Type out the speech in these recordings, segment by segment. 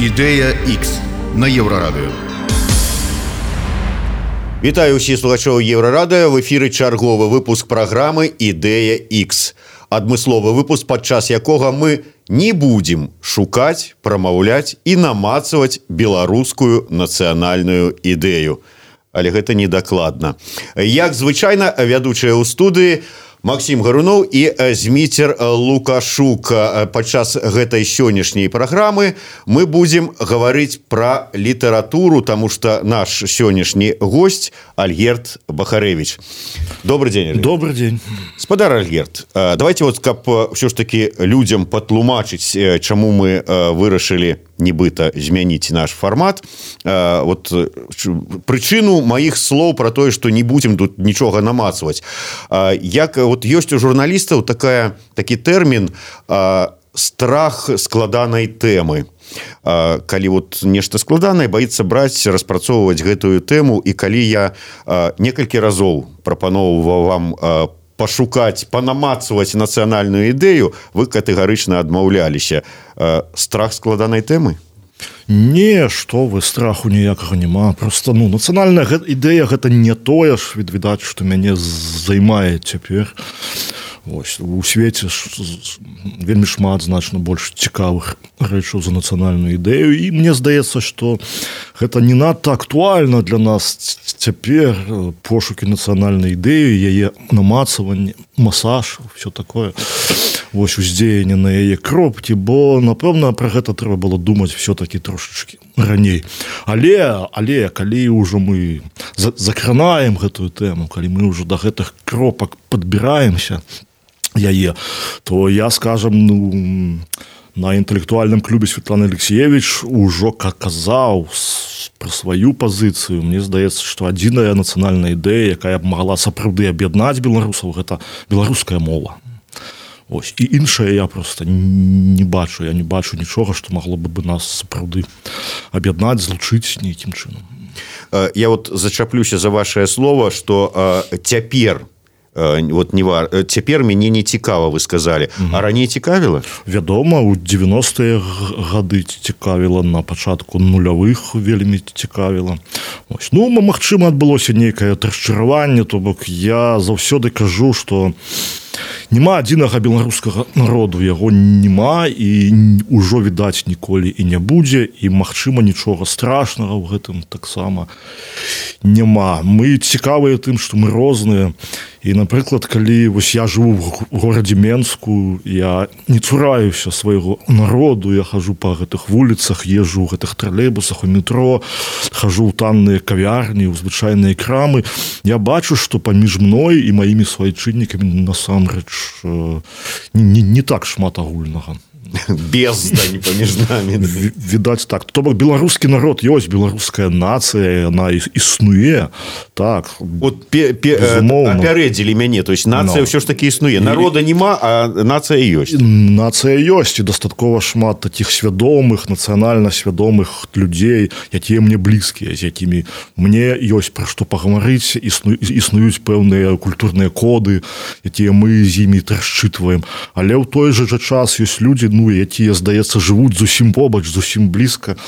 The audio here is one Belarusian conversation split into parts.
Ідэя X на Еўрарадыё. Вітаю ўсіх слухачоў Еўрарадыё. В эфіры чарговы выпуск праграмы «Ідэя X». Адмысловы выпуск, падчас якога мы не будзем шукаць, прамаўляць і намацаваць беларускую нацыянальную ідэю. Але гэта недакладна. Як звычайна, вядучыя ў студыі Максим Гаруноў і Зміцер Лукашук. Падчас гэтай сённяшняй праграмы мы будзем гаварыць пра літаратуру, таму што наш сённяшні госць Альгерд Бахарэвіч. Добрый день, Альгерд. Добрый день. Спадар Альгерд, давайте вот, каб ўсё ж таки людям патлумачыць, чаму мы вырашылі нібыта змяніць наш фармат. Вот прычыну маіх слоў пра тое, што не будзем тут нічога намацваць. Як вот ёсць у журналістаў такі тэрмін страх складанай тэмы. Калі вот нешта складанае, баіцца браць, распрацоўваць гэтую тэму, і калі я некалькі разоў прапаноўваў вам пашукаць, панамацваць нацыянальную ідэю, вы катэгарычна адмаўляліся. Страх складанай тэмы? Не, што вы, страху ніякага няма. Просто, нацыянальная ідэя гэта не тое ж, відаць, што мяне займае цяпер. Ось, у свеце вельмі шмат значна больш цікавых рэчаў за нацыянальную ідэю, і мне здаецца, што гэта не надта актуальна для нас цяпер, пошукі нацыянальнай ідэі, яе намацаванне, масаж, все такое, вось уздзеянне на яе кропкі, бо напэўна пра гэта трэба было думаць все-таки трошачкі раней. Але калі ўжо мы закранаем гэтую тэму, калі мы ўжо да гэтых кропак падбіраемся яе, то я, скажем, на інтэлектуальным клубе Светланы Алексеевич ужо казаў пра сваю пазіцыю. Мне здаецца, што адзіная нацыянальная ідэя, якая б магла сапраўды аб'яднаць беларусаў, гэта беларуская мова. Ось. І іншае я просто не бачу. Я не бачу нічога, што магло бы нас сапраўды аб'яднаць, злучыць нейкім чынам. Я вот зачаплюся за вашее слово, што цяпер цяпер мяне не цікава, вы сказалі. А раней цікавіла? Вядома, у 90-е гады цікавіла, на пачатку нулявых вельмі цікавіла. Магчыма, адбылося нейкае расчараванне, то бок я заўсёды кажу, што няма адзінага беларускага народу, яго няма і ўжо, відаць, ніколі і не будзе, і, магчыма, нічога страшнага ў гэтым таксама няма. Мы цікавыя тым, што мы розныя. І, напрыклад, калі я жыву в горадзе Менску, я не цураюся свайго народу, я хожу па гэтых вуліцах, езжу ў гэтых тралейбусах, у метро, хожу ў танныя кавярні, ў звычайныя крамы. Я бачу, што паміж мной і маімі суайчыннікамі насамрэч не так шмат агульнага. Бездань паміж намі. Відаць так. То бок беларускі народ ёсць, беларуская нацыя, яна існуе. Так. Вот апярэдзілі мяне, то есть нацыя ўсё ж таки існуе. Народа няма, а нацыя ёсць. Нацыя ёсць, і дастаткова шмат такіх свядомых, нацыянальна свядомых людзей, якія мне блізкія, з якімі мне ёсць пра што пагаварыць, існуюць пэўныя культурныя коды, якія мы з імі расчытваем. Але ў той жа час ёсць людзі, якія, здаецца, жывуць зусім побач, зусім блізка,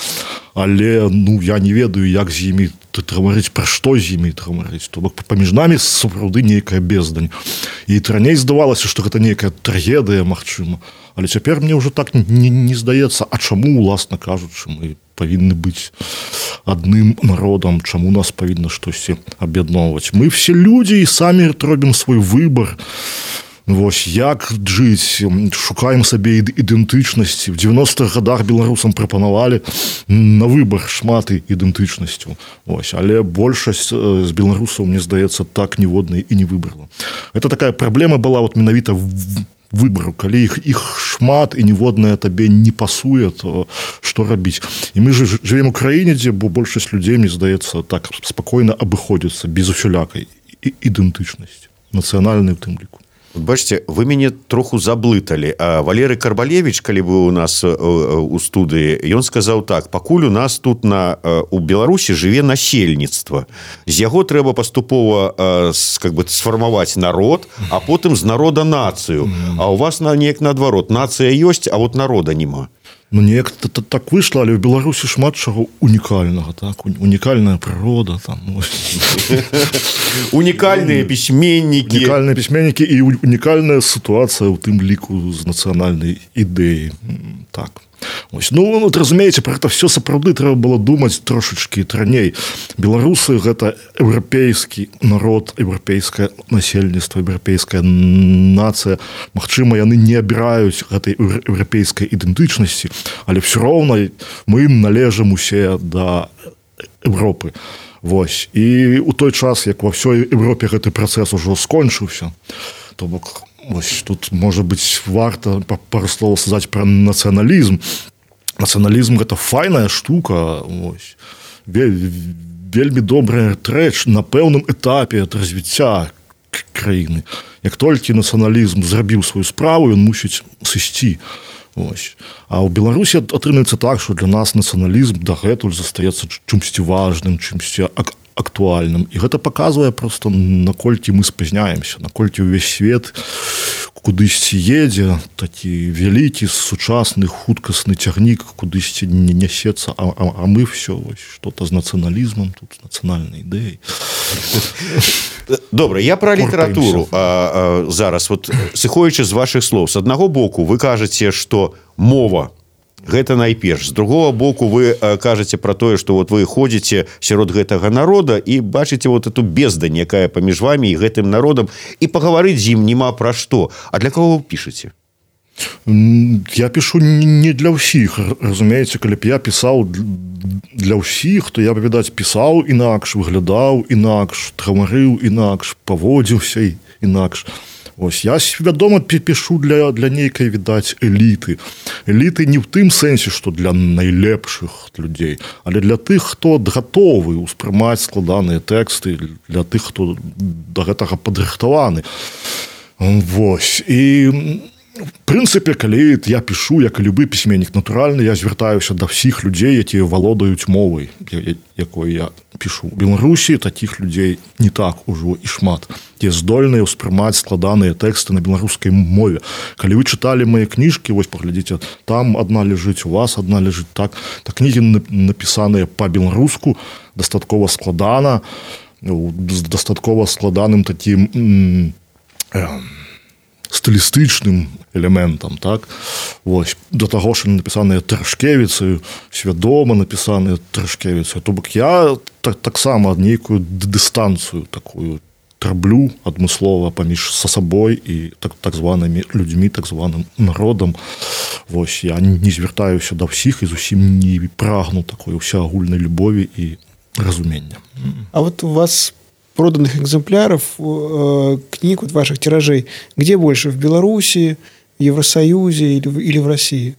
але я не ведаю, як з імі гаварыць, пра што з імі гаварыць. То бок паміж намі сапраўды нейкая бездань. І раней здавалася, што гэта нейкая трагедыя, магчыма. Але цяпер мне ўжо так не здаецца, а чаму, уласна кажучы, мы павінны быць адным народам, чаму нас павінна штосьці аб'ядноўваць. Мы все людзі і самі робім свой выбар. Вось, як жыць, шукаем сабе ідэнтычнасці. В 90-х годах беларусам прапанавалі на выбар шмат ідэнтычнасцяў. Вось, але большасць з беларусаў, мне здаецца, так ніводнай і не выбрала. Это такая праблема была менавіта выбару. Калі іх шмат і ніводная табе не пасуе, то што рабіць? І мы жывем у краіне, дзе большасць людзей, мне здаецца, так спакойна абыходзяцца без усялякай ідэнтычнасці, нацыянальнай у тым ліку. Бачце, вы мяне троху заблыталі. Валерый Карбалевіч, калі быў у нас у студыі, ён сказаў так: пакуль у нас тут у Беларусі жыве насельніцтва, з яго трэба паступова сфармаваць народ, а потым з народа нацыю. А у вас неяк наадварот, нацыя ёсць, а вот народа няма. Ну, неяк так выйшла, але ў Беларусі шмат чаго унікальнага, так? Унікальная прырода, там, унікальныя пісьменнікі. Унікальныя пісьменнікі і унікальная сітуацыя ў тым ліку з нацыянальнай ідэі. Так. Ось. Ну, разумееце, про гэта все сапраўды трэба было думаць трошачкі раней. Беларусы – гэта еўрапейскі народ, еўрапейскае насельніцтва, еўрапейская нацыя. Магчыма, яны не абіраюць гэтай еўрапейскай ідэнтычнасці, але все роўна мы належым усе да Европы. Вось. І ў той час, як ва ўсёй Европе гэты працэс ужо скончыўся, то бок ось тут, можа быць, варта пару слоў сказаць пра нацыяналізм. Нацыяналізм – гэта файная штука, ось. Вельмі добрая рэч на пэўным этапе ад развіцця краіны. Як толькі нацыяналізм зрабіў сваю справу, ён мусіць сысці. Ось. А ў Беларусі атрымаецца так, што для нас нацыяналізм дагэтуль застаецца чымсьці важным, чымсьці актуальным. І гэта паказвае проста, наколькі мы спазняемся, наколькі ўвесь свет кудысьці едзе, такі вялікі, сучасны, хуткасны цягнік кудысьці не нясецца, а мы все што-то з нацыяналізмам, тут з нацыянальнай ідэяй. Добра, я пра літаратуру зараз. Вот, сыходзячы з вашых слоў, з аднаго боку вы кажаце, што мова гэта найперш. З другого боку вы кажаце пра тое, што вот вы ходзіце сярод гэтага народа і бачыце вот эту бездань, якая паміж вамі і гэтым народам, і пагаварыць з ім няма пра што. А для кого вы пішаце? Я пишу не для ўсіх, разумееце, калі б я пісаў для ўсіх, то я б, відаць, пісаў інакш, выглядаў інакш, гаварыў інакш, паводзіўся інакш. Ось, я свядома пішу для нейкай, відаць, эліты. Эліты не ў тым сэнсе, што для найлепшых людзей, але для тых, хто гатовы ўспрымаць складаныя тэксты, для тых, хто да гэтага падрыхтаваны. Вось. І в прынцыпе, калі я пішу, як і любы пісьменнік, натуральна, я звяртаюся да ўсіх людзей, якія валодаюць мовай, якой я пішу. У Беларусі такіх людзей не так ужо і шмат. Ті здольныя ўспрымаць складаныя тэксты на беларускай мове. Калі вы чыталі мае кніжкі, вось паглядзіце, там адна ляжыць, у вас адна ляжыць так. Та кнігі напісаныя па-беларуску, дастаткова складана, з дастаткова складаным такім стылістычным элементам, так? Вось, да таго, што напісаныя Трашкевіцаю, свядома напісаныя Трашкевіцаю. То бок я таксама нейкую дыстанцыю такую траблю адмыслова паміж са сабой і так званымі людзьмі, так званым народам. Вось, я не звяртаюся да ўсіх і зусім не прагну такой усеагульнай любові і разумення. А вот у вас проданных экземпляров книг, вот ваших тиражей, где больше? В Беларуси, в Евросоюзе или в России?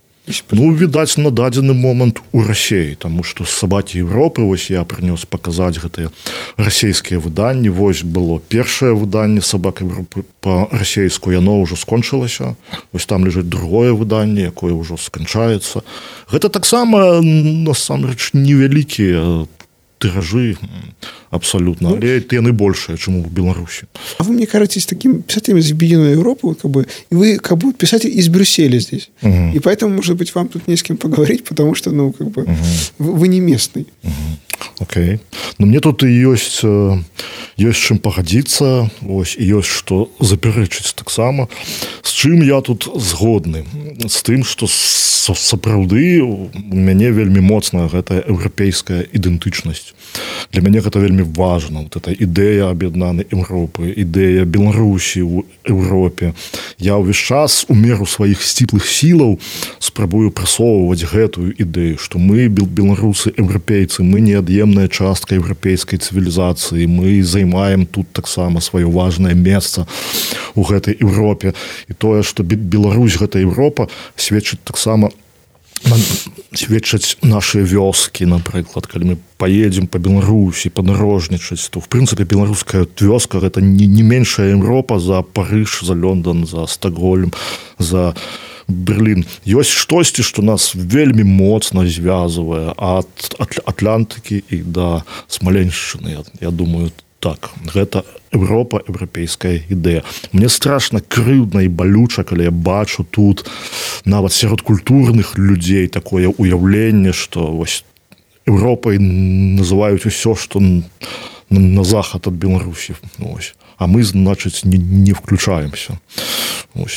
Ну, відаць, на дадзены момант у Расіі, таму што з «Сабакі Европы» вось я прынёс паказаць гэтыя расійскія выданні. Вось было першае выданне «Сабак Европы» па-расейску, яно ўжо скончылася. Вось там ляжыць другое выданне, якое ўжо сканчаецца. Гэта таксама, насамрэч, невялікія тиражи абсолютно, але яны большие, чем в Беларуси. А вы, мне кажетесь таким писателем из Объединенной Европы, вот, как бы, и вы как бы писатель из Брюсселя здесь. И поэтому, может быть, вам тут не с кем поговорить, потому что, ну, как бы, вы не местный. Окей. Но мне тут и есть чым пагадзіцца, ось, і ёсць што запярэчыць таксама. З чым я тут згодны? З тым, што сапраўды у мяне вельмі моцная гэтая еўрапейская ідэнтычнасць. Для мяне гэта вельмі важна. Вот эта ідэя аб'яднанай Европы, ідэя Беларусі ў Европе. Я ўвесь час у меру сваіх сціплых сілаў спрабую прасоўваць гэтую ідэю, што мы, беларусы, еўрапейцы, мы неад'емная частка еўрапейскай цывілізацыі, мы займаем тут таксама сваё важнае месца ў гэтай Европе. І тое, што Беларусь, гэта Европа, сведчыць таксама сведчаць нашыя вёскі, напрыклад, калі мы поедем по Беларусі падарожнічаць, то в прынцыпе беларуская вёска гэта не меншая Европа за Парыж, за Лондон, за Стокгольм, за Берлін. Ёсць штосьці, што нас вельмі моцна звязвае ад Атлантыкі і да Смаленшчыны. Я думаю, так, гэта Европа, еўрапейская ідэя. Мне страшна крыўдна і балюча, калі я бачу тут нават сярод культурных людзей такое уяўленне, што вось Европай называюць усё, што на захад ад Беларусі. Ось. А мы, значыць, не включаемся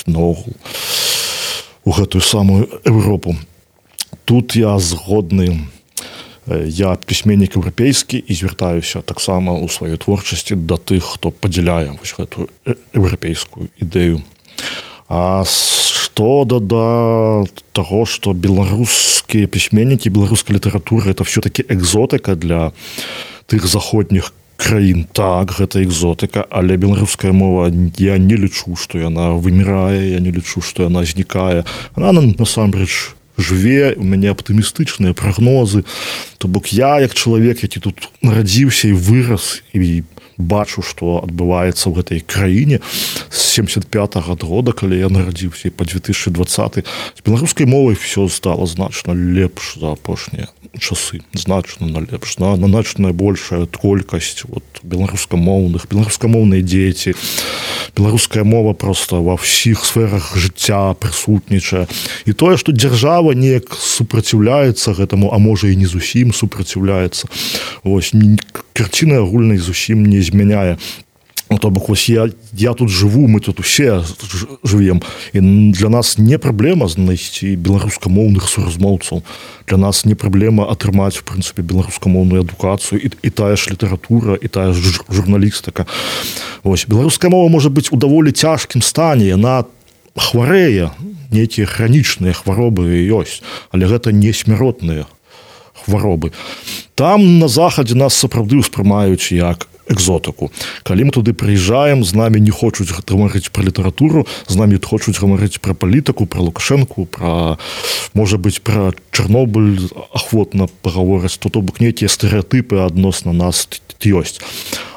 наогул у гэтую самую Европу. Тут я згодны. Я пісьменнік еўрапейскі і звяртаюся таксама ў сваёй творчасці да тых, хто падзяляе гэтую еўрапейскую ідэю. А што да таго, што беларускія пісьменнікі, беларуская літаратура это все-таки экзотыка для тых заходніх краін. Так, гэта экзотыка, але беларуская мова, я не лічу, што яна вымірае, я не лічу, што яна знікае. Она насамрэч жыве, у мяне аптымістычныя прагнозы. То бок я, як чалавек, які тут нарадзіўся і вырас, і бачу, што адбываецца ў гэтай краіне з 75-го года, калі я нарадзіўся, і па 2020. З беларускай мовай все стало значна лепш за апошнія часы. Значна лепш. Значна большая колькасць беларускамоўныя дзеці. Беларуская мова просто ва ўсіх сферах жыцця прысутнічае. І тое, што дзяржава неяк супраціўляецца гэтаму, а можа і не зусім супраціўляецца. Вось, карціны агульнай зусім не змяняе. То бок, вось я тут жыву, мы тут усе жывем. І для нас не праблема знайсці беларускамоўных суразмоўцаў. Для нас не праблема атрымаць, в прынцыпе, беларускамоўную адукацыю, і тая ж літаратура, і тая ж журналістыка. Вось, беларуская мова можа быць у даволі цяжкім стане, яна хварэе, нейкія хранічныя хваробы ёсць, але гэта не смяротныя хваробы. Там на захадзе нас сапраўды ўспрымаюць як экзотыку. Калі мы туды прыязджаем, з намі не хочуць гаварыць пра літаратуру, з намі хочуць гаварыць пра палітыку, пра Лукашэнку, можа быць, пра Чарнобыль ахвотна пагавораць, то бок нейкія стэрэатыпы адносна нас ёсць.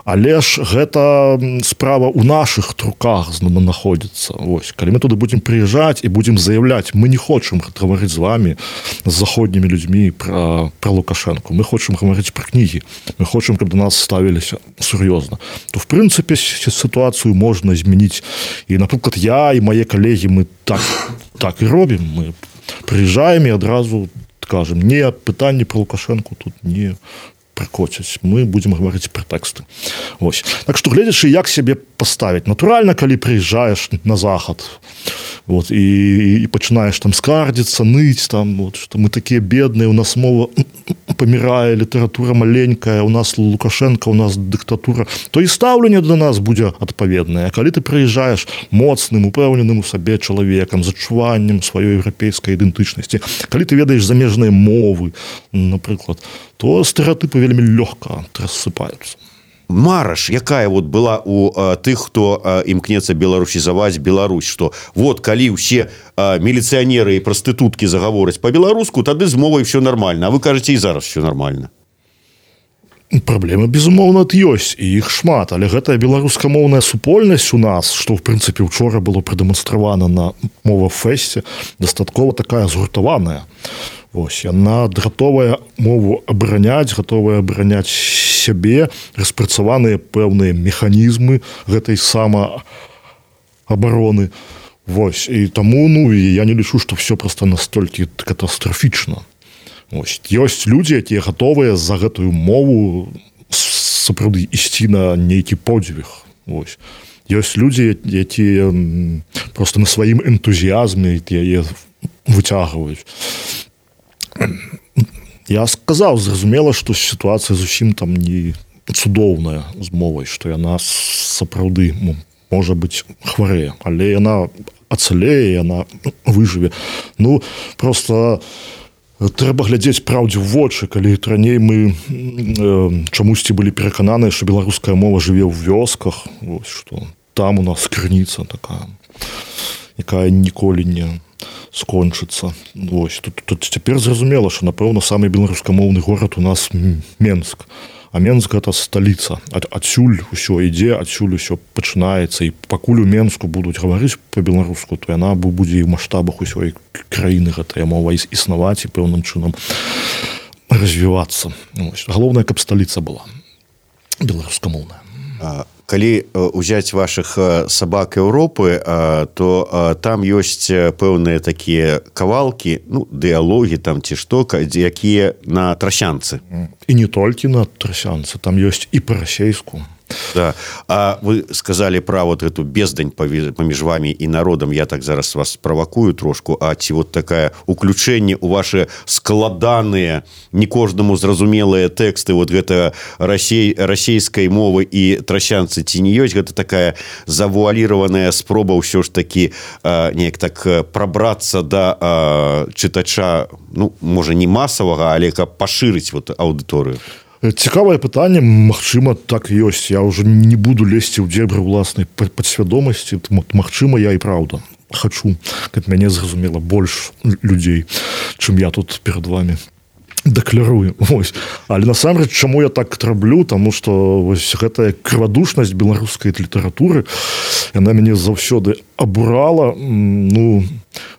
Але ж гэта справа ў нашых руках знаходзіцца. Вось. Калі мы туды будзем прыязджаць і будзем заяўляць, мы не хочам гаварыць з вамі, з заходнімі людзьмі пра Лукашэнку. Мы хочам гаварыць пра кнігі. Мы хочам, каб да нас ставіліся сур'ёзна. То, в прынцыпе, сітуацыю можна змяніць. І, напрыклад, я і мае калегі, мы так і робім. Мы прыязджаем і адразу кажам, не, пытанні пра Лукашэнку тут не прыкоцяць. Мы будзем гаварыць пра тэксты. Вось. Так што, гледзячы, як сябе паставіць. Натуральна, калі прыязджаеш на захад, вот, і пачынаеш там скардзіцца, ныць, там, вот, што мы такія бедныя, у нас мова памірае, літаратура маленькая, у нас Лукашенко, у нас дыктатура, то і стаўленне да нас будзе адпаведнае. А калі ты прыязджаеш моцным, упэўненым у сабе чалавекам, з адчуваннем сваёй еўрапейскай ідэнтычнасці, калі ты ведаеш замежныя мовы, напрыклад, то стэрэатыпы вельмі лёгка рассыпаюцца. Мараш, якая вот была у тых, хто імкнецца беларусізаваць Беларусь, што вот калі ўсе міліцыянеры і прастытуткі загавораць па-беларуску, тады з мовай все нормально. А вы кажаце, і зараз все нормально. Праблемы, безумоўна, ёсць, і іх шмат, але гэтая беларускамоўная супольнасць у нас, што, в прынцыпе, учора было прадэманстравана на мова-фэсце, дастаткова такая згуртаваная. Вось, яна гатовая мову абараняць, гатовая абараняць сябе, распрацаваныя пэўныя механізмы гэтай самаабароны. Вось, і таму, я не лічу, што все проста настолькі катастрафічна. Вось, ёсць людзі, якія гатовыя за гэтую мову сапраўды ісці на нейкі подзвіг. Вось. Ёсць людзі, якія проста на сваім энтузіязме яе выцягваюць. Я сказаў, зразумела, што сітуацыя зусім там не цудоўная з мовай, што яна сапраўды можа быць хварэе, але яна ацалее, яна выжыве. Просто трэба глядзець праўдзе ў вочы, калі раней мы чамусьці былі перакананыя, што беларуская мова жыве ў вёсках, што там у нас крыніца такая, якая ніколі не скончыцца. Тут цяпер зразумела, што, напэўна, самы беларускамоўны горад у нас Менск. А Менск – гэта сталіца. Адсюль усё ідзе, адсюль усё пачынаецца. І пакуль у Менску будуць гаварыць па-беларуску, то яна будзе і ў маштабах усёй краіны гэтая мова існаваць і пэўным чынам развівацца. Галоўнае, каб сталіца была беларускамоўная. Калі ўзяць вашых сабак Еўропы, то там ёсць пэўныя такія кавалкі, ну, дыялогі там ці што, якія на трасянцы. І не толькі на трасянцы, там ёсць і па-расейску. Да. А вы сказали про вот эту бездань паміж вами і народам. Я так зараз вас правакую трошку. А ці вот такая уключэнне у ваши складаныя, не кожнаму зразумелыя тэксты вот гэта расейскай мовы і трасянцы ці не ёсць? Гэта такая завуаліраваная спроба ўсё ж таки неяк так прабрацца да чытача, ну, можа, не масавага, але каб пашырыць вот аўдыторыю. Цікавае пытанне, магчыма, так ёсць. Я ўжо не буду лезці ў дзебры ўласнай падсвядомасці. Магчыма, я і праўда хачу, каб мяне зразумела больш людзей, чым я тут перад вами дэкларую. Вось. Але насамрэч, чаму я так раблю? Таму што вось гэтая крывадушнасць беларускай літаратуры, яна мяне заўсёды абурала. Ну,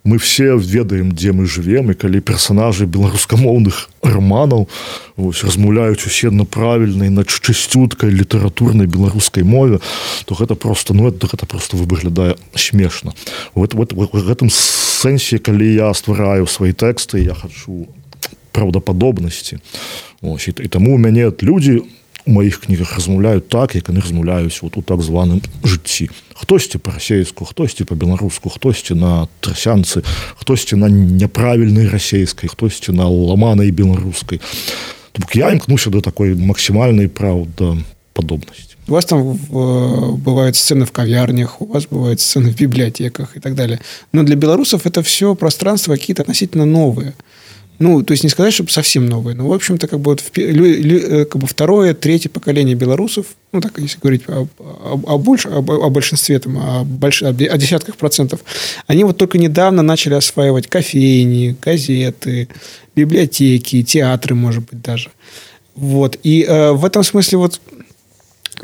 мы все ведаем, дзе мы жывем, і калі персанажы беларускамоўных раманаў вось, размаўляюць усе на правільнай, на чысцюткай літаратурнай беларускай мове, то гэта просто, ну, гэта просто выглядае смешна. В гэтым сэнсе, калі я ствараю свае тэксты, я хачу праўдападобнасці. Ось, і таму у мяне людзі у маіх кнігах размаўляюць так, як яны размаўляюць вот у так званым жыцці. Хтосьці па-расейску, хтосьці па-беларуску, хтосьці на трасянцы, хтосьці на няправільнай расейскай, хтосьці на ламанай беларускай. Таму я імкнуся да такой максімальнай праўдападобнасці. У вас там бывают сцены в кавярнях, у вас бывают сцены в библиотеках и так далее. Но для белорусов это все пространства какие-то относительно новые. Ну, то есть не сказать, чтобы совсем новые, но, в общем-то, как бы, вот как бы второе, третье поколение белорусов, ну, так, если говорить о большинстве, там, о десятках процентов, они вот только недавно начали осваивать кофейни, газеты, библиотеки, театры, может быть, даже. Вот. И в этом смысле вот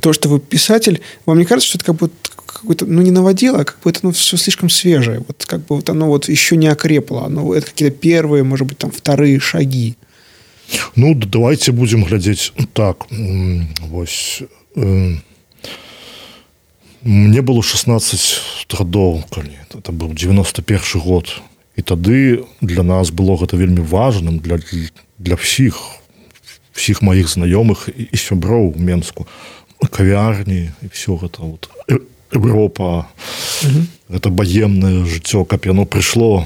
то, что вы писатель, вам не кажется, что это как бы какой-то, ну, не наводило, а как бы это, ну, все слишком свежее. Вот как бы вот оно вот еще не окрепло. Оно, это какие-то первые, может быть, там, вторые шаги. Ну, давайте будем глядеть так. Вось, мне было 16 гадоў, калі это был 91 год. І тады для нас было гэта вельмі важным, для всіх моих знаёмых і сяброў у Менску. Кавярні і все гэта вот. Европа, гэта баемнае жыццё, каб яно прыйшло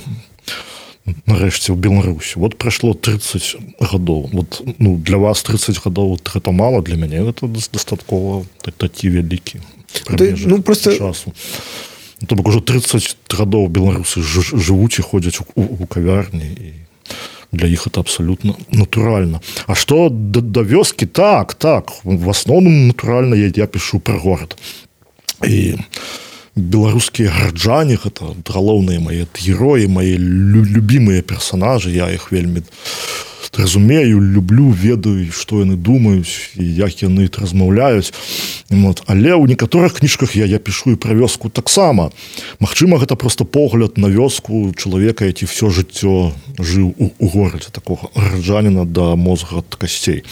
нарэшце ў Беларусь. Вот прайшло 30 гадоў. Вот, ну, для вас 30 гадоў гэта мала, для мяне гэта дастаткова такі вялікі прамежак, ну, просто часу. То бок ужо 30 гадоў беларусы жывуць і ходзяць у кавярні, і для іх это абсолютно натуральна. А што да вёскі? Так, в асноўным натуральна я пішу пра горад. І беларускія гараджане, гэта галоўныя мае героі, мае любімыя персонажы, я іх вельмі разумею, люблю, ведаю, што яны думаюць і як яны размаўляюць. Вот. Але ў некаторых кніжках я пішу і пра вёску таксама. Магчыма, гэта просто погляд на вёску чалавека, які всё жыццё жыў у горадзе, такога гараджаніна да мозга ад касцей.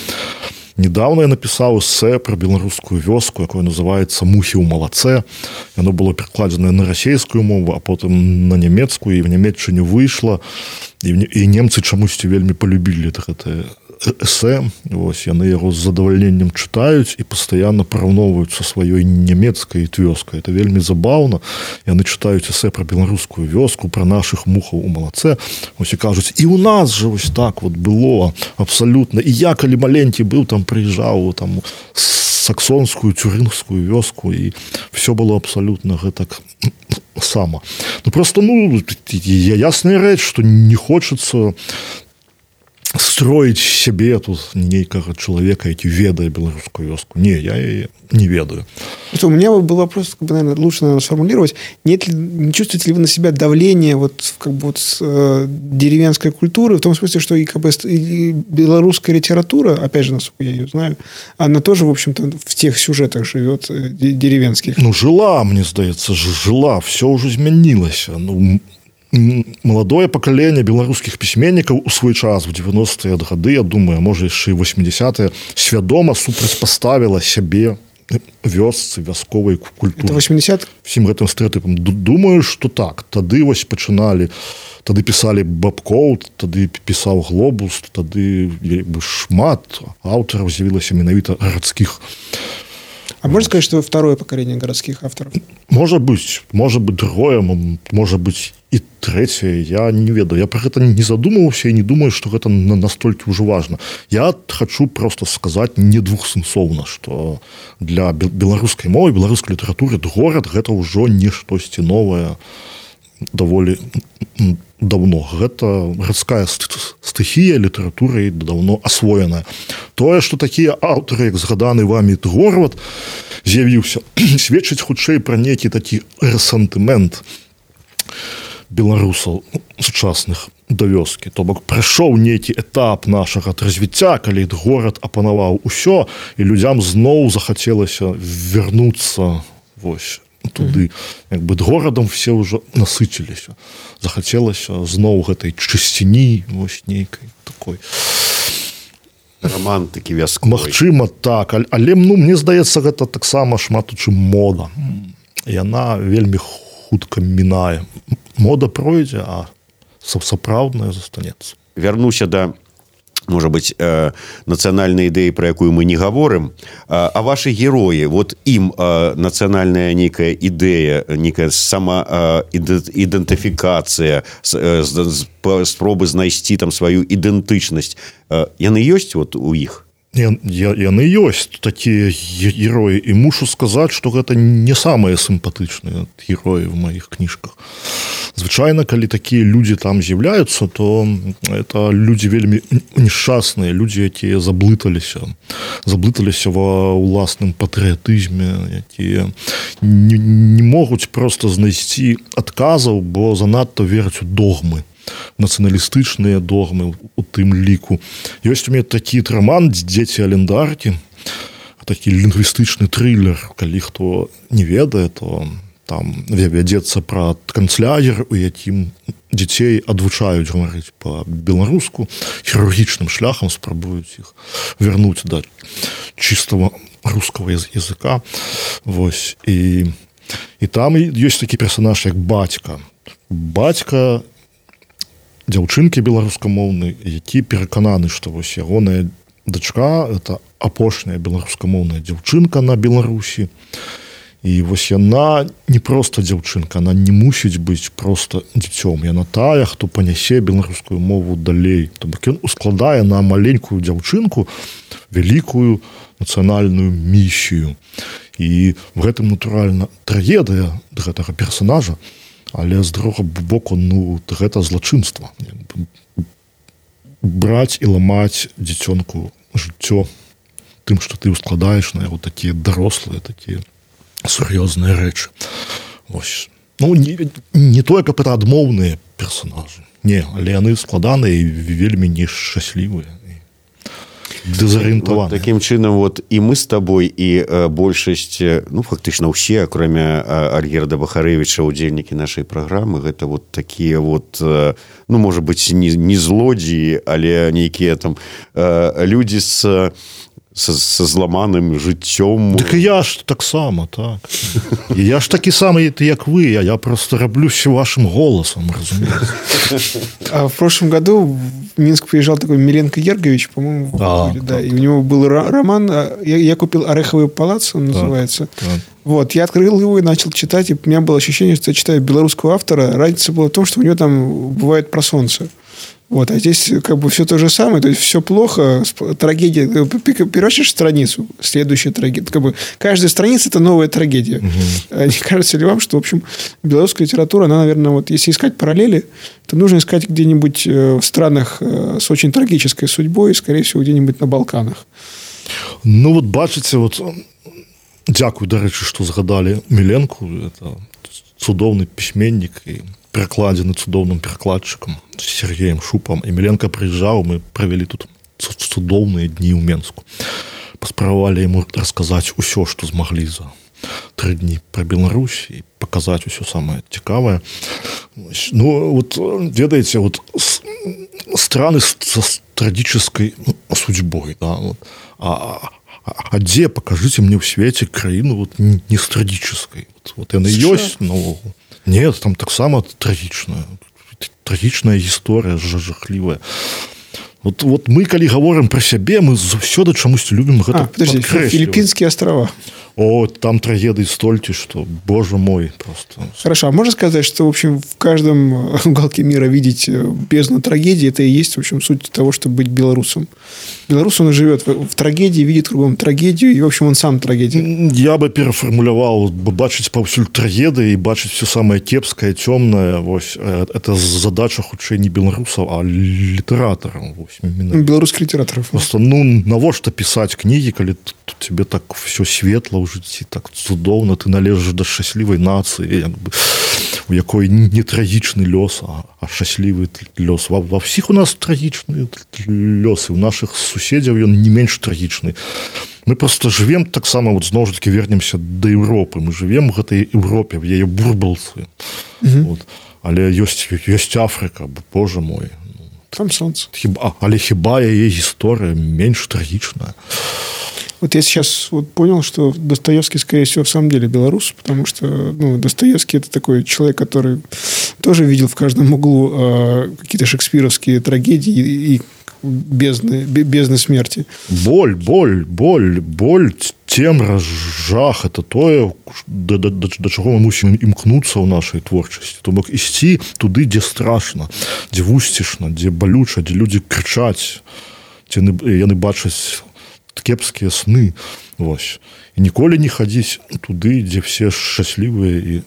Недавно я написал эссе про белорусскую вёску, якое называется «Мухи ў малацэ». Оно было перекладзенае на расейскую мову, а потом на нямецкую, и в Нямецчыне выйшло. І немцы чамусьці вельмі полюбілі гэтае эссе. Вось, яны яго з задавальненнем чытаюць і пастаянна параўноўваюць са сваёй нямецкай вёскай. Это вельмі забаўна. Яны чытаюць эссе про беларускую вёску, про наших мухаў у малацэ. Вось, і кажуць, і у нас же вось так вот было абсолютно. І я, калі маленькі быў, там прыязджаў там саксонскую, цюрынгскую вёску, і все было абсолютно гэтак само. Ну, просто, ну, ясная рэч, што не хочется строить себе тут нейкага чалавека, які ведае беларускую вёску. Не, я яе не ведаю. У меня был вопрос, как бы, наверное, лучше, наверное, сформулировать. Не чувствуете ли вы на себя давление вот, как бы, вот, с деревенской культуры, в том смысле, что и, как бы, и белорусская литература, опять же, насколько я ее знаю, она тоже, в общем-то, в тех сюжетах живет деревенских? Ну, жила, мне здаецца, жила, все уже змянілася. Ну, маладое пакаленне беларускіх пісьменнікаў у свой час, в 90-е гады, я думаю, можа яшчэ і 80-е, свядома супрацьпаставіла сябе вёсцы, вясковай культуры. Это 80? Всім гэтым стэрэатыпам. Думаю, што так. Тады вось пачыналі, тады пісалі Бабкоў, тады пісаў Глобус, тады шмат аўтараў з'явілася менавіта гарадскіх. А можно сказать, что второе поколение городских авторов? Может быть другое, может быть и третье. Я не ведаю. Я про гэта не задумываўся и не думаю, что гэта настолькі ўжо важно. Я хочу просто сказать не двухсэнсоўна, что для беларускай мовы, беларускай літаратуры горад гэта ўжо не штосьці новае даволі давно. Гэта гарадская стыхія літаратуры давно асвоеная. Тое, што такія аўтары, як згаданы вамі Горват, з'явіўся, сведчыць хутчэй пра нейкі такі рэсентымент беларусаў сучасных да вёскі. То бок прайшоў нейкі этап нашага развіцця, калі горад апанаваў усё, і людзям зноў захацелася вярнуцца вось туды. Як бы горадам все ўжо насыціліся. Захацелася зноў гэтай чысціні, вось нейкай такой романтыкі вясковай. Магчыма, так, але мне здаецца, гэта таксама шмат у чым мода. Яна вельмі хутка мінае. Мода пройдзе, а сапраўдная застанецца. Вярнуся да, можа быць, нацыянальнай ідэі, пра якую мы не гаворым, а вашы героі, вот ім нацыянальная нейкая ідэя, нейкая самаідэнтыфікацыя, спробы знайсці там сваю ідэнтычнасць, яны ёсць вот у іх? Яны ёсць такія героі, і мушу сказаць, што гэта не самыя сімпатычныя героі в маіх кніжках. Звычайна, калі такія людзі там з'яўляюцца, то это людзі вельмі нешчасныя, людзі, якія заблыталіся ва ўласным патрыятызме, якія не могуць проста знайсці адказаў, бо занадта вераць у догмы, нацыяналістычныя догмы у тым ліку. Ёсць у мяне такі роман «Дзеці Алендаркі», такі лінгвістычны трылер. Калі хто не ведае, то там вядзецца пра канцлагер, у якім дзяцей адвучаюць гаварыць па-беларуску, хірургічным шляхам спрабуюць іх вярнуць да чыстого рускага языка. Вось. І там ёсць такі персанаж, як бацька. Бацька дзяўчынкі беларускамоўнай, які перакананы, што вось ягоная дачка – это апошняя беларускамоўная дзяўчынка на Беларусі. І вось яна не проста дзяўчынка, она не мусіць быць проста дзіцём. Яна тая, хто панясе беларускую мову далей. То бок ён ускладае на маленькую дзяўчынку вялікую нацыянальную місію. І в гэтым, натуральна, трагедыя гэтага персонажа, але з другога боку, гэта злачынства. Браць і ламаць дзіцёнку жыццё тым, што ты ускладаеш на яго такія дарослыя, такія сур'ёзныя рэчы. Вось. Не тое, каб это адмоўныя персонажы. Не, але яны складаныя і вельмі нешчаслівыя. Дезарыентаваны. Вот таким чынам вот і мы з табой, і большасць, фактычна ўсе, акрамя Альгерда Бахарэвіча, удзельнікі нашай праграмы, гэта вот такія вот, можа быць, не злодзеі, але нейкія там людзі со зламаным жыццём. Так і я ж таксама, так. Я ж такі самы, як вы, я просто раблюся вашим голосом, разумеете. А в прошлом году в Минск приезжал такой Миленко Ергович, по-моему, да, и у него был роман, я купил «Ореховый палац», он называется. Так. Вот, я открыл его и начал читать, и у меня было ощущение, что я читаю белорусского автора. Разница была в том, что у него там бывает про солнце. Вот, а здесь как бы все то же самое, то есть все плохо, трагедия, переворачиваешь страницу, следующая трагедия, как бы каждая страница – это новая трагедия. Угу. Не кажется ли вам, что, в общем, белорусская литература, она, наверное, вот если искать параллели, то нужно искать где-нибудь в странах с очень трагической судьбой, скорее всего, где-нибудь на Балканах. Вот бачыце, вот, дзякую, дарэчы, што згадалі Міленку, это цудоўны пісьменнік і перакладзены цудоўным перакладчыкам Сергеем Шупам. І Міленка прыязджаў, мы правялі тут цудоўныя дні ў Менску. Паспрабавалі яму расказаць усё, што змаглі за 3 дні пра Беларусь і паказаць усё самае цікавае. Вот, ведаеце, вот страны с трагической судьбой, да, вот. А А дзе пакажыце мне ў свеце краіну вот не з трагічнай вот яна ёсць наогул нет там таксама трагічная гісторыя жахлівая вот мы калі гаворым пра сябе мы заўсёды чамусьці любім гэта Філіппінскія астрава там трагедии стольки, что, боже мой, просто... Хорошо, а можно сказать, что, в общем, в каждом уголке мира видеть бездну трагедии, это и есть, в общем, суть того, чтобы быть белорусом. Белорус, он живет в трагедии, видит кругом трагедию, и, в общем, он сам трагедия. Я бы переформулировал, бачить повсюль трагедии и бачить все самое кепское, темное, это задача хутчэй не белорусов, а литераторов. Белорусских литераторов. Просто, навошта писать книги, когда тебе так все светло в житті, так цудоўна, ты належиш до шчаслівай нацыі, у якой не трагічны лёс, а шчаслівы лёс. Ва всіх у нас трагічныя лёсы, у наших суседзяў ён не менш трагічны. Мы просто живем таксама, вот зноў жа такі вернемся до Европы, мы живем в гэтай Европе, в яе бурбалцы. Вот. Але ёсць Африка, боже мой. Там солнце. Але хіба яе гісторыя менш трагічная? Вот я сейчас вот понял, что Достоевский, скорее всего, в самом деле белорус, потому что Достоевский – это такой человек, который тоже видел в каждом углу какие-то шекспировские трагедии и бездны смерти. Боль, цемра, жах – это тое, до чаго мы мусім імкнуцца ў нашай творчасці. То бок ісці туды, дзе страшна, дзе вусцішна, дзе балюча, дзе людзі крычаць, дзе яны бачаць кепскія сны, вось. І ніколі не хадзіць туды, дзе все шчаслівыя і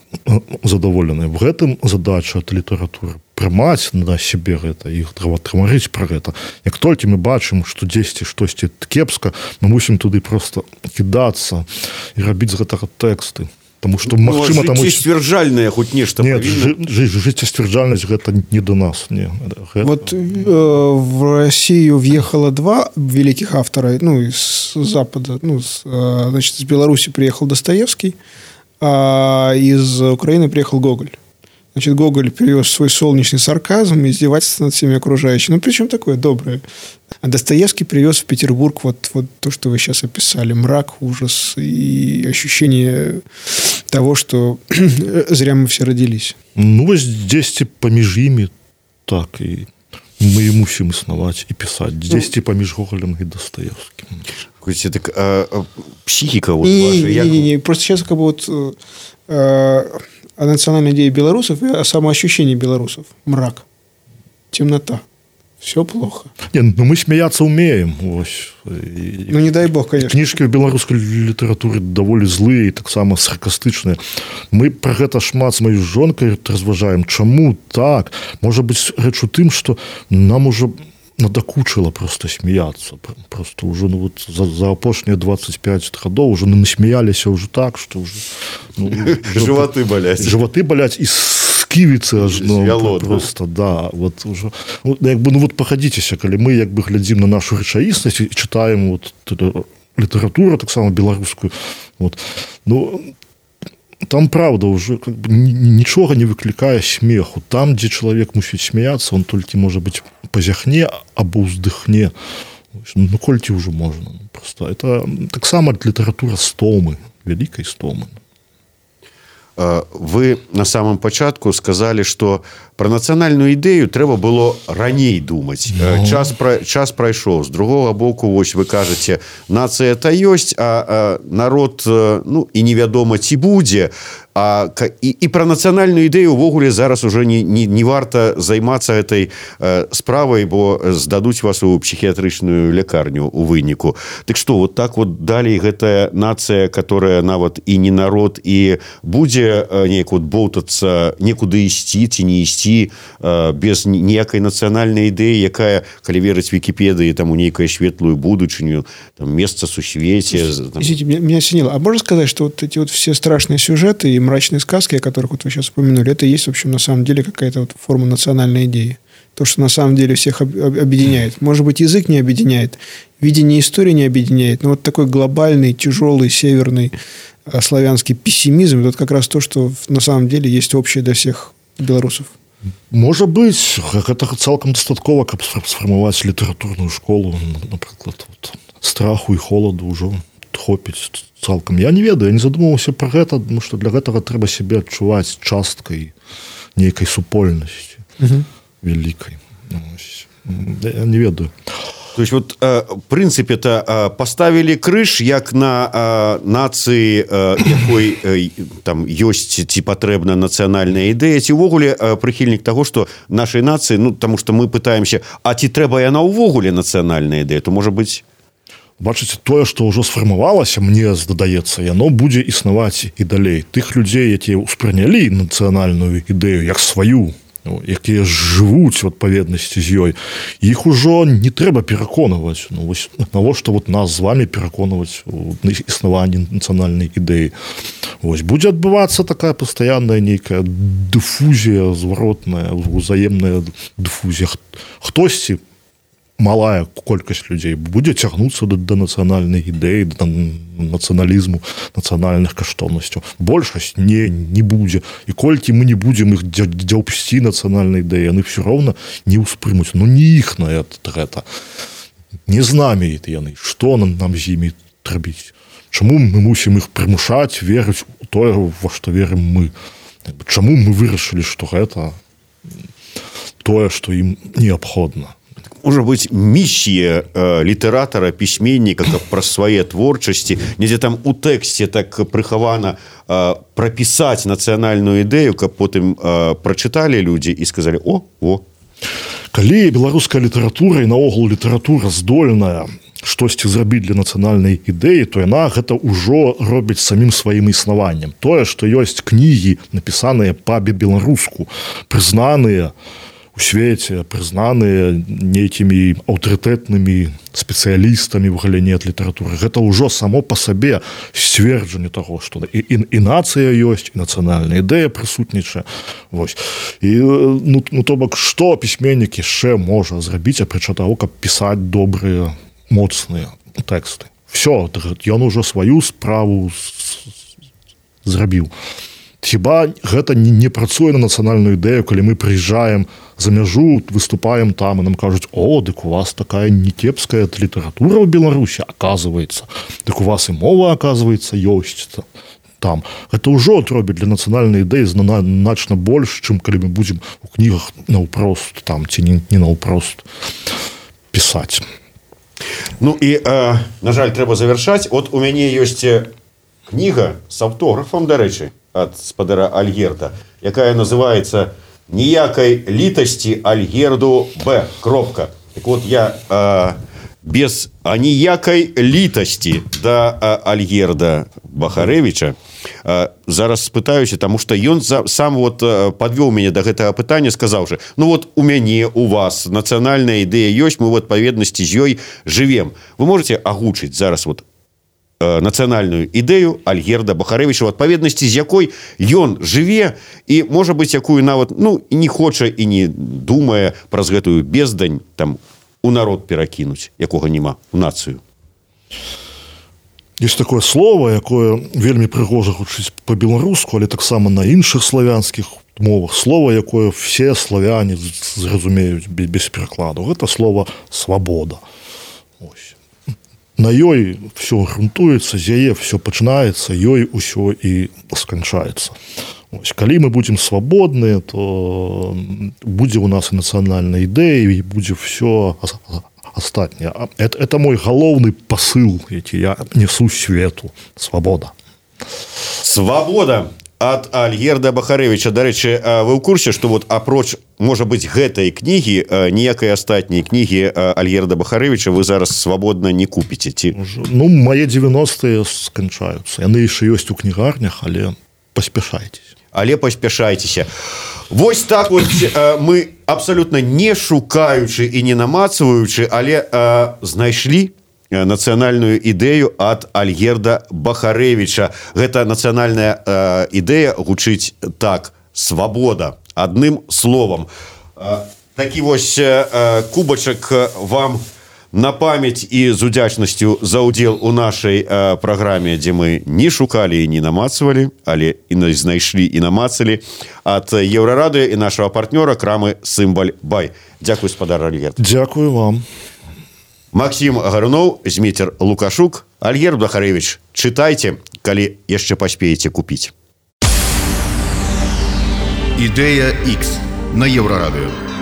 задаволеныя. В гэтым задача ад літаратуры прымаць на сябе гэта, іх трамарыць пра гэта. Як толькі мы бачым, што дзесьці штосьці кепска, мы мусім туды просто кідацца і рабіць з гэтага тэксты. Потому что, магчыма, жыццесцвярджальнае хоть нешта павінна. Нет, жыццесцвярджальнасць гэта не до нас. Не. Вот в Россию въехало два великих автора, из Запада. Значит, из Беларуси приехал Достоевский, а из Украины приехал Гоголь. Значит, Гоголь привез свой солнечный сарказм и издевательство над всеми окружающими. Причем такое доброе. А Достоевский привез в Петербург вот то, что вы сейчас описали. Мрак, ужас и ощущение того, что зря мы все родились. Вот здесь поміж ими так и мы мусим існаваць и писать. Здесь поміж Гоголем и Достоевским. Так, психика вот ваша. Не. Просто сейчас как бы вот... о национальной идее белорусов и о самоощущении белорусов. Мрак, темнота. Все плохо. Мы смеяться умеем. Не дай бог, конечно. Книжки в белорусской литературе довольно злые и так само саркастичные. Мы про это шмат с моей жонкой разважаем. Чему так? Может быть, речь у тем, что нам уже надокучило просто смеяться. Просто уже за опошние 25 годов уже насмеялись уже так, что уже... Животы болять. Животы болять и скивицы аж просто, да. Вот уже, вот погодитеся, коли мы як бы глядим на нашу речаїсність і читаємо вот літературу, так само білоруську, вот, там, правда, уже как бы ничего не выкликая смеху. Там, где человек мусит смеяться, он только, может быть, позяхне або уздыхне. Кольки уже можно. Просто это так само литература стомы, великой стомы. Вы на самом початку сказали, что про национальную идею трэба было раней думать. Час прайшоў. З другого боку, вось вы кажете, нация это есть, а народ, и невядома ці будзе. И про национальную идею увогуле зараз уже не варта займацца этой справай, бо здадуць вас у психіятрычную лякарню у выніку. Так что, вот так вот далей гэтая нация, которая нават и не народ, и будзе неяк вот болтацца, некуды ісці ці не ісці без ніякай нацыянальнай ідэі, якая, калі верыць Википедии, там у нейкую светлую будучыню, там место сусвеце. Извините, меня осенило. А можно сказать, что вот эти вот все страшные сюжеты и мрачные сказки, о которых вот вы сейчас упомянули, это и есть, в общем, на самом деле какая-то вот форма национальной идеи. То, что на самом деле всех объединяет. Может быть, язык не объединяет, видение истории не объединяет, но вот такой глобальный, тяжелый, северный славянский пессимизм, это как раз то, что на самом деле есть общее для всех белорусов. Может быть, это цалкам дастаткова, каб сфармаваць літаратурную школу, напрыклад, страху і холаду ўжо хопіць цалкам. Я не ведаю, я не задумываўся пра гэта, тому што для гэтага трэба сябе адчуваць часткай нейкай супольнасці вялікай. Я не ведаю. То есть вот в принципе-то поставили крыж як на нацыі, якой там ёсць ці патрэбна нацыянальная ідэя, ці ўвогуле прыхільнік таго, што нашай нацыі, ну, таму што мы пытаемся, а ці трэба яна ўвогуле нацыянальная ідэя, то можа быць... Бачыце, тое, што ўжо сфармавалася, мне здаецца, яно будзе існаваць і далей. Тых людзей, якія ўспрынялі нацыянальную ідэю як сваю, якія жывуць у адпаведнасці з ёй, іх ужо не трэба пераконваць. Ну, вось навошта вот нас з вами пераконваць у існаванні нацыянальнай ідэі. Вось будзе адбывацца такая пастаянная нейкая дыфузія зваротная, узаемная дыфузія. Хтосьці, малая колькасць людзей будзе цягнуцца да нацыянальнай ідэі, да нацыяналізму, нацыянальных каштоўнасцяў. Большасць не будзе. І колькі мы не будзем іх дзяўпсці нацыянальнай ідэі, яны ўсё роўна не ўспрымуць. Ну, не іхная гэта. Не з намі яны. Што нам з імі рабіць? Чаму мы мусім іх прымушаць верыць у тое, во што верым мы? Чаму мы вырашылі, што гэта тое, што ім неабходна? Может быть, миссия литератора, письменника, как про свои творчести, недзе там у тексте так прыхавана прописать национальную идею, как потом прочитали люди и сказали: о. Калі беларуская літаратура і наогул літаратура здольная штосьці зрабіць для нацыянальнай ідэі, то яна гэта ўжо робіць самім сваім існаваннем. Тое, што ёсць кнігі, напісаныя па-беларуску, прызнаныя у свеце, прызнаныя нейкімі аўтарытэтнымі спецыялістамі ў галіне літаратуры. Гэта ўжо само па сабе сцверджанне таго, што і нацыя ёсць, і нацыянальная ідэя прысутнічае. Вось. І, то бок, што пісьменнік яшчэ можа зрабіць, апрача таго, каб пісаць добрыя, моцныя тэксты. Всё, ён ужо сваю справу зрабіў. Хіба гэта не працуе на нацыянальную ідэю, калі мы прыязджаем за мяжу, выступаем там, і нам кажуць: о, дык у вас такая некепская літаратура ў Беларусі, аказваецца. Дык у вас і мова, аказваецца, ёсць там. Гэта ўжо робіць для нацыянальнай ідэі значна больш, чым калі мы будзем у кнігах наўпрост там, ці не наўпрост пісаць. Ну і, на жаль, трэба завяршаць. От у мяне ёсць кніга з аўтографам, дарэчы, ад спадара Альгерда, якая называецца «Ніякай літасці Альгерду Б. Кропка». Так вот, я без ніякай літасці да Альгерда Бахарэвіча зараз спытаюся, таму што ён сам вот падвёў мяне да гэтага пытання, сказаўшы: ну вот у мяне, у вас нацыянальная ідэя ёсць, мы в адпаведнасці з ёй жывем. Вы можете агучыць зараз вот нацыянальную ідэю Альгерда Бахарэвіча, у адпаведнасці з якой ён жыве і, можа быць, якую нават не хоча і не думае праз гэтую бездань там у народ перакінуць, якога няма, у нацыю. Есть такое слово, якое вельмі прыгожа гучыць па-беларуску, але таксама на іншых славянскіх мовах. Слово, якое все славяне зразумеюць без перакладу. Гэта слово «свабода». Ось. На ёй все грунтуецца, з яе все пачынаецца, ёй усё і сканчаецца. Ось, калі мы будзем свабодныя, то будзе у нас і нацыянальная ідэя, і будзе все астатняе. Это мой галоўны пасыл, які я несу свету. Свабода. Свабода ад Альгерда Бахарэвіча. Дарэчы, вы ў курсе, што вот апроч, можа быць, гэтай кнігі, ніякай астатняй кнігі Альгерда Бахарэвіча вы зараз свабодна не купіце? Ці... Ну, мае 90-е сканчаюцца. Яны яшчэ ёсць у кнігарнях, але паспяшайцеся. Але паспяшайцеся. Вось так вот мы абсолютно не шукаючы і не намацваючы, але знайшлі нацыянальную ідэю ад Альгерда Бахарэвіча. Гэта нацыянальная ідэя гучыць так: свабода. Адным словам. Такі вось кубачак вам на памяць і з удзячнасцю за ўдзел у нашай праграме, дзе мы не шукалі і не намацвалі, але і знайшлі і намацалі, ад Еўрарадыё і нашага партнёра крамы «Сымбаль Бай». Дзякуй, спадар Альгерд. Дзякую вам. Максім Гаруноў, Зміцер Лукашук. Альгерд Дахаревич, читайте, калі яшчэ паспееце купіць. Ідэя X на Еўрарадыё.